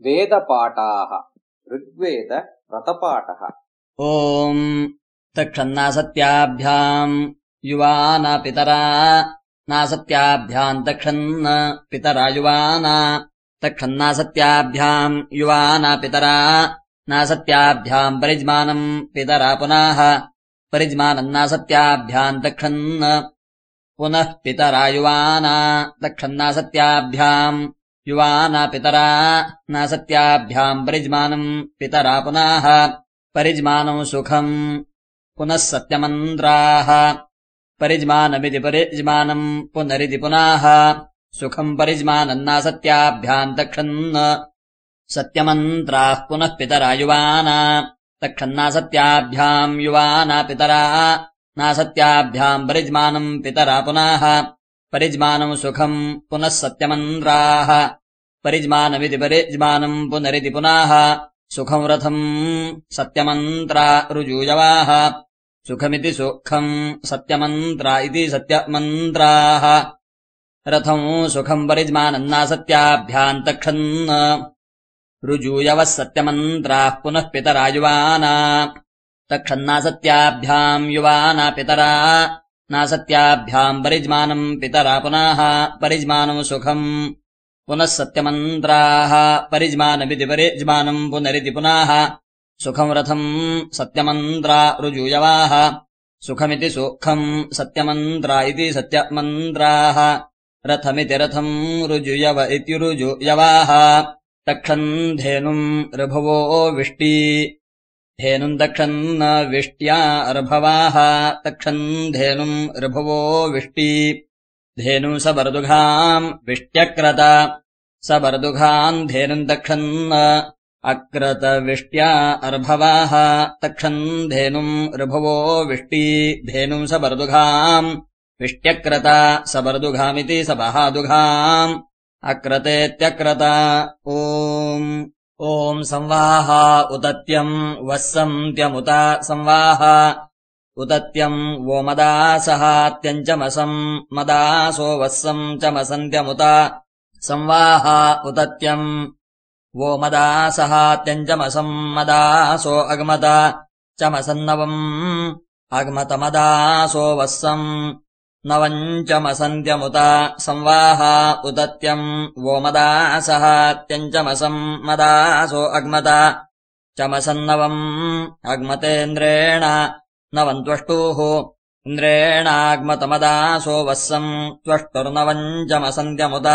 वेदपाठाः ऋग्वेद व्रतपाठः। ॐ तक्षन्नासत्याभ्याम् युवाना पितरा नासत्याभ्याम् तक्षन्न पितरा युवाना तक्षन्नासत्याभ्याम् युवाना पितरा नासत्याभ्याम् परिज्मानम् पितरा पुनः परिज्मानम् नासत्याभ्याम् तक्षन्न पुनः पितरा युवाना तक्षन्नासत्याभ्याम् युवाना पितरा नासत्याभ्याम् परिज्मानम् पितरा पुनः परिज्मानम् सुखम् पुनः सत्यमन्त्राः परिज्मानमिति परिज्मानम् पुनरिति पुनः सुखम् परिज्मानम् नासत्याभ्याम् तक्षन्न सत्यमन्त्राः पुनः पितरा युवाना तक्षन्नासत्याभ्याम् युवाना पितरा नासत्याभ्याम् परिज्मानम् पितरा पुनः परिज्मानम् सुखम् पुनः सत्यमन्त्राः परिज्मानमिति परिज्मानम् पुनरिति पुनः सुखम् रथम् सत्यमन्त्रा ऋजूयवाः सुखमिति सुखम् सत्यमन्त्रा इति सत्यमन्त्राः रथम् सुखम् परिज्मानम् नासत्याभ्याम् तक्षन्न ऋजूयवः सत्यमन्त्राः पुनः पितरा युवाना तक्षन्नासत्याभ्याम् युवाना पितरा नासत्याभ्याम् परिज्मानम् पितरा पुनः परिज्मानम् सुखम् पुनः सत्यमन्त्राः परिज्मानमिति परिज्मानम् पुनरिति पुनः सुखम् रथम् सत्यमन्त्रा ऋजूयवाः सुखमिति सुखम् सत्यमन्त्रा इति सत्यमन्त्राः रथमिति रथम् ऋजूयव इति ऋजूयवाः तक्षन् धेनुम् ऋभवो विष्टी धेनुम् तक्षन्न विष्ट्या ऋभवाः तक्षन् धेनुम् ऋभवो विष्टी धेनुम् सबर्दुघाम् विष्ट्यक्रत सबर्दुघाम् धेनुम् तक्षन्न अक्रत विष्ट्या अर्भवाः तक्षन् धेनुम् ऋभवो विष्टी धेनुम् सबर्दुघाम् विष्ट्यक्रत सबर्दुघामिति सबहादुघाम् अक्रतेत्यक्रत ॐ संवाह उतत्यम् वस्सन्त्यमुत संवाह उतत्यम् वो मदासहात्यञ्चमसम् मदासो वस्सम् चमसन्त्यमुत संवाह उतत्यम् वो मदासहात्यञ्चमसम् मदासो अग्मत चमसन्नवम् अग्मतमदासो वस्सम् नवञ्चमसन्त्यमुत संवाह उतत्यम् वो मदासहात्यञ्चमसम् मदासो अग्मत चमसन्नवम् अग्मतेन्द्रेण नवम् त्वष्टुः इन्द्रेणाग्मतमदासो वस्सम् त्वष्टुर्नवञ्चमसन्त्यमुत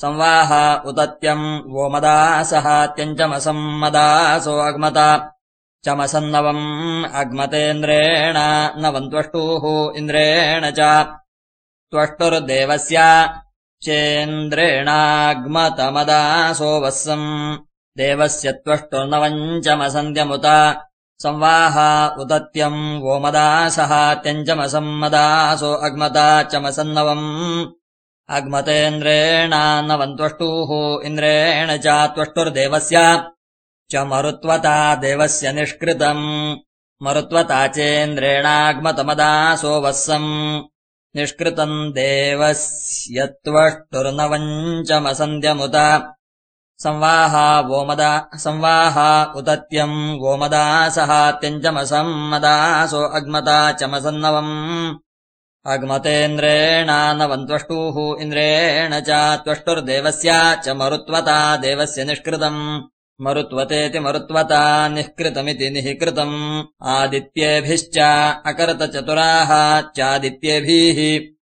संवाह उतत्यम् वो मदासहात्यञ्चमसम् मदासो अग्मत चमसन्नवम् अग्मतेन्द्रेण नवम् त्वष्टुः इन्द्रेण च त्वष्टुर्देवस्य चेन्द्रेणाग्मतमदासो वस्सम् देवस्य त्वष्टुर्नवञ्चमसन्त्यमुत संवाह उतत्यम् वो मदासहात्यञ्चमसम् मदासो अग्मत चमसन्नवम् अग्मतेन्द्रेण नवम् त्वष्टुः इन्द्रेण च त्वष्टुर्देवस्य च मरुत्वता देवस्य निष्कृतम् मरुत्वता चेन्द्रेणाग्मतमदासो वस्सम् निष्कृतम् देवस्य त्वष्टुर्नवञ्चमसन्त्यमुत संवाह उतत्यम् वो मदासहात्यञ्चमसम् मदासो अग्मत चमसन्नवम् अग्मतेन्द्रेण नवम् त्वष्टुः इन्द्रेण च त्वष्टुर्देवस्य च मरुत्वता देवस्य निष्कृतम् मरुत्वतेति मरुत्वता निःकृतमिति निःकृतम् आदित्येभिश्च अकर्त चतुराः चादित्येभिः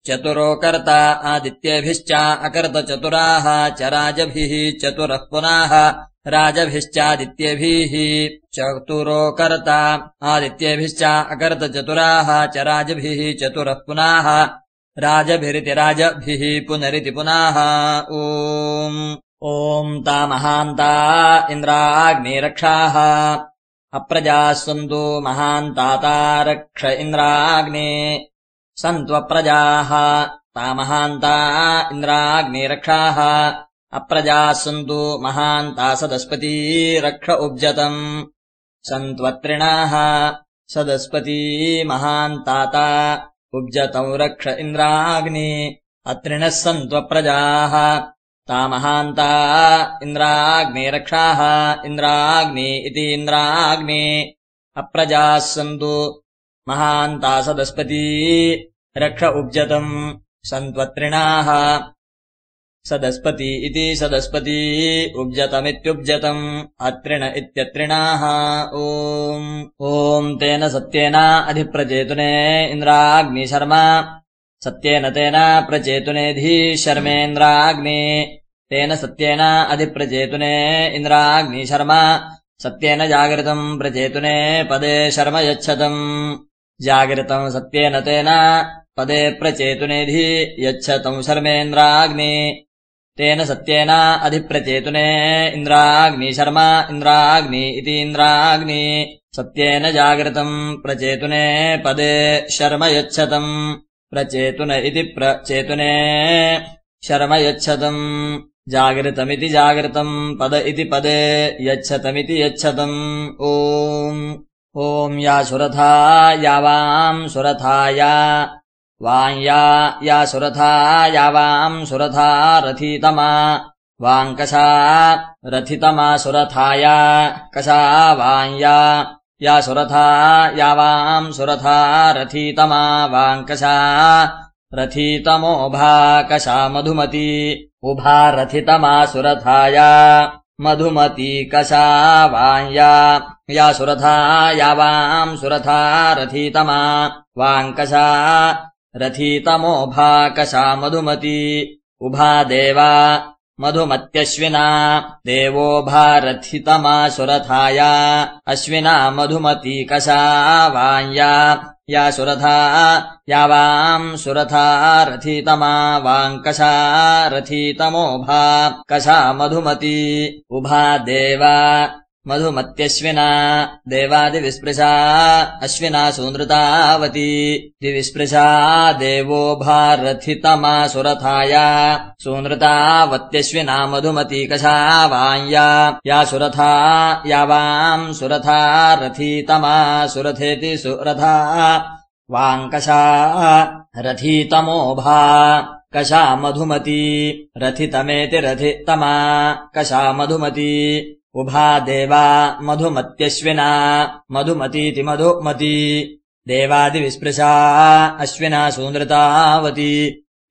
चतुरो कर्ता आदित्येभिश्च अकर्त चतुराः च राजभिः चतुरः पुनः राजभिश्चादित्येभिः चतुरो कर्ता आदित्येभिश्च अकर्त चतुराः च राजभिः चतुरः पुनः राजभिरिति राजभिः पुनरिति पुनः ॐ ता महान्ता इन्द्राग्निरक्षाः अप्रजाः सन्तु महान्ताता रक्ष इन्द्राग्ने सन्त्वप्रजाः ता महान्ता इन्द्राग्निरक्षाः अप्रजाः सन्तु महान्ता सदस्पती रक्ष उब्जतम् सन्त्वत्रिणाः सदस्पती महान्ताता उब्जतौ रक्ष इन्द्राग्नि अत्रिणः सन्त्वप्रजाः तामहान्ता इन्द्राग्नेरक्षाः इन्द्राग्ने इति इन्द्राग्ने अप्रजाः सन्तु महान्ता सदस्पती रक्ष उब्जतम् सन्त्वत्रिणाः सदस्पति इति सदस्पती उब्जतमित्युब्जतम् अत्रिण इत्यत्रिणाः ॐ तेन सत्येन अधिप्रचेतुने इन्द्राग्निशर्मा सत्येन तेन प्रचेतुनेधि शर्मेन्द्राग्ने तेन सत्येन अधिप्रचेतुने इन्द्राग्निशर्मा सत्येन जागृतम् प्रचेतुने पदे शर्म यच्छतम् जागृतम् सत्येन तेन पदे प्रचेतुनेधि यच्छतम् शर्मेन्द्राग्ने तेन सत्येन अधिप्रचेतुने इन्द्राग्निशर्मा इन्द्राग्नि इति इन्द्राग्नि सत्येन जागृतम् प्रचेतुने पदे शर्म यच्छतम् प्रचेतुन इति प्रचेतुने शर्म यच्छतम् जागृतमिति जागृतम् पद इति पदे यच्छतमिति यच्छतम् ॐ या सुरथा यावाम् सुरथाया वाञ्या या सुरथा यावाम् सुरथा रथितमा वाङ्कषा रथितमा सुरथाया कषा वाञ्या या सुरथा यावाम् सुरथा रथितमा वाङ्कषा रथितमोभा कषा मधुमती उभा रथितमा सुरथाया मधुमती कषा वाञ्या या सुरथा यावाम् सुरथा रथितमा वाङ्कषा रथितमोभा कषा मधुमती उभा देवा मधुमत्यश्विना देवोभा रथितमा सुरथाया अश्विना मधुमती कषा वाञ्या या सुरथा यावाम् सुरथा रथितमा वाङ्कषा रथितमोभा कषा मधुमती उभा देवा मधुमत्यश्विना देवादिविस्पृशा अश्विना सूनृतावती दिविस्पृशा देवोभा रथितमा सुरथाया सूनृतावत्यश्विना मधुमती कषा वाञ्या या सुरथा यावाम् सुरथा रथितमा सुरथेति सुरथा वाङ्कषा रथितमोभा कषा मधुमती रथितमेति रथितमा कषा मधुमती उभा देवा मधुमत्यश्विना मधुमतीति मधुमती देवादिविस्पृशा अश्विना सूनृतावती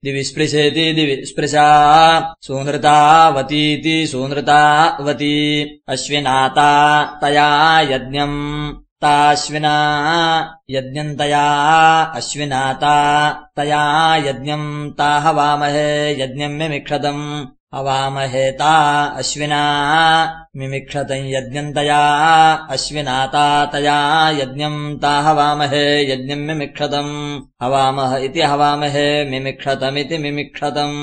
दिविस्पृशेति दिविस्पृशा सूनृतावतीति सूनृतावती अश्विनाता तया यज्ञम् ताश्विना यज्ञम् तया अश्विनाता तया यज्ञम् ता हवामहे यज्ञम् मिमिक्षतम् हवामहेता अश्विना मिमिक्षतम् यज्ञम् तया अश्विनाता तया यज्ञम् ता हवामहे यज्ञम् मिमिक्षतम् हवामह इति हवामहे मिमिक्षतमिति मिमिक्षतम्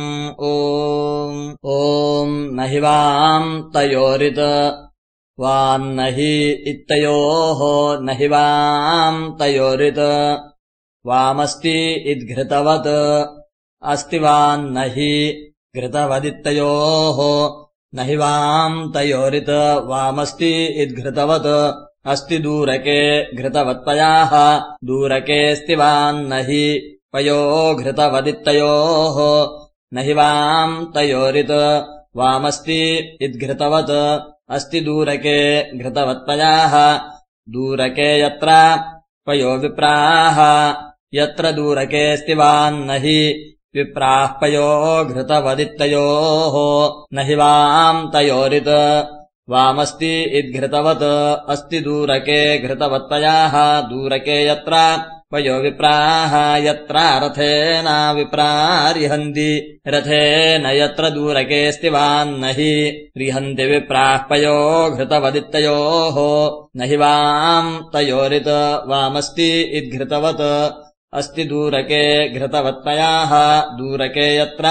ॐ न हि वाम् तयोरित वान्न हि इत्तयोः न हि वाम् तयोरित वामस्ति इद्घृतवत् अस्ति वान्न हि घृतवदित्तयोः न हि वाम् तयोरित वामस्ति इद्घृतवत् अस्ति दूरके घृतवत्पयाः दूरकेऽस्ति वान्न हि पयो घृतवदित्तयोः न हि वाम् तयोरित वामस्ति इद्घृतवत् अस्ति दूरके घृतवत्पयाः दूरके यत्र पयो विप्राः यत्र दूरकेऽस्ति वान्न हि विप्राः पयो घृतवदित्तयोः न हि वाम् तयोरित वामस्ति इद्घृतवत् अस्ति दूरके घृतवत्पयाः दूरके यत्र पयो विप्राः यत्र रथेन विप्रारिहन्ति रथेन यत्र दूरकेऽस्ति वान्न हि रिहन्ति विप्राः पयो घृतवदित्तयोः न हि वाम् तयोरित वामस्ति इद्घृतवत् अस्ति दूरके घृतवत्पयाः दूरके यत्र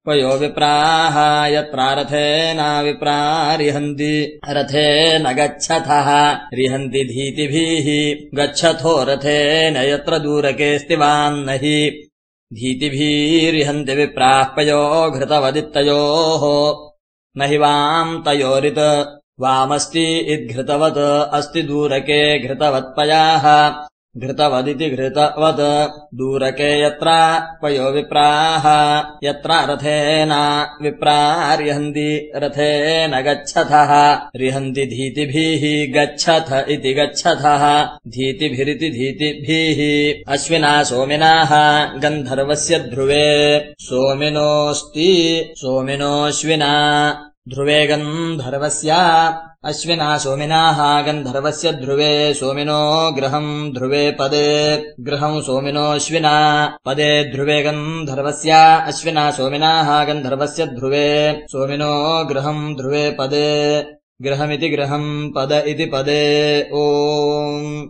पयो विप्राः यत्र रथेन विप्रारिहन्ति रथेन गच्छथः रिहन्ति धीतिभिः गच्छथो रथेन यत्र दूरकेऽस्ति वान्न हि धीतिभिरिहन्ति विप्राः पयो घृतवदित्तयोः न हि वाम् तयोरित वामस्ति इद्घृतवत् अस्ति दूरके घृतवत्पयाः घृतवदिति घृतवत् दूरके यत्र पयो विप्राः यत्र रथेन विप्रार्यहन्ति रथेन गच्छथः रिहन्ति धीतिभिः गच्छथ इति गच्छथः धीतिभिरिति धीतिभिः अश्विना सोमिनाः गन्धर्वस्य ध्रुवे सोमिनोऽस्ति सोमिनोऽश्विना ध्रुवे गन्धर्वस्य अश्विना सोमिनाः गन्धर्वस्य ध्रुवे सोमिनो गृहम् ध्रुवे पदे गृहम् सोमिनोऽश्विना पदे ध्रुवे गन्धर्वस्य अश्विना सोमिनाः गन्धर्वस्य ध्रुवे सोमिनो गृहम् ध्रुवे पदे गृहमिति गृहम् पद इति पदे। ओम्।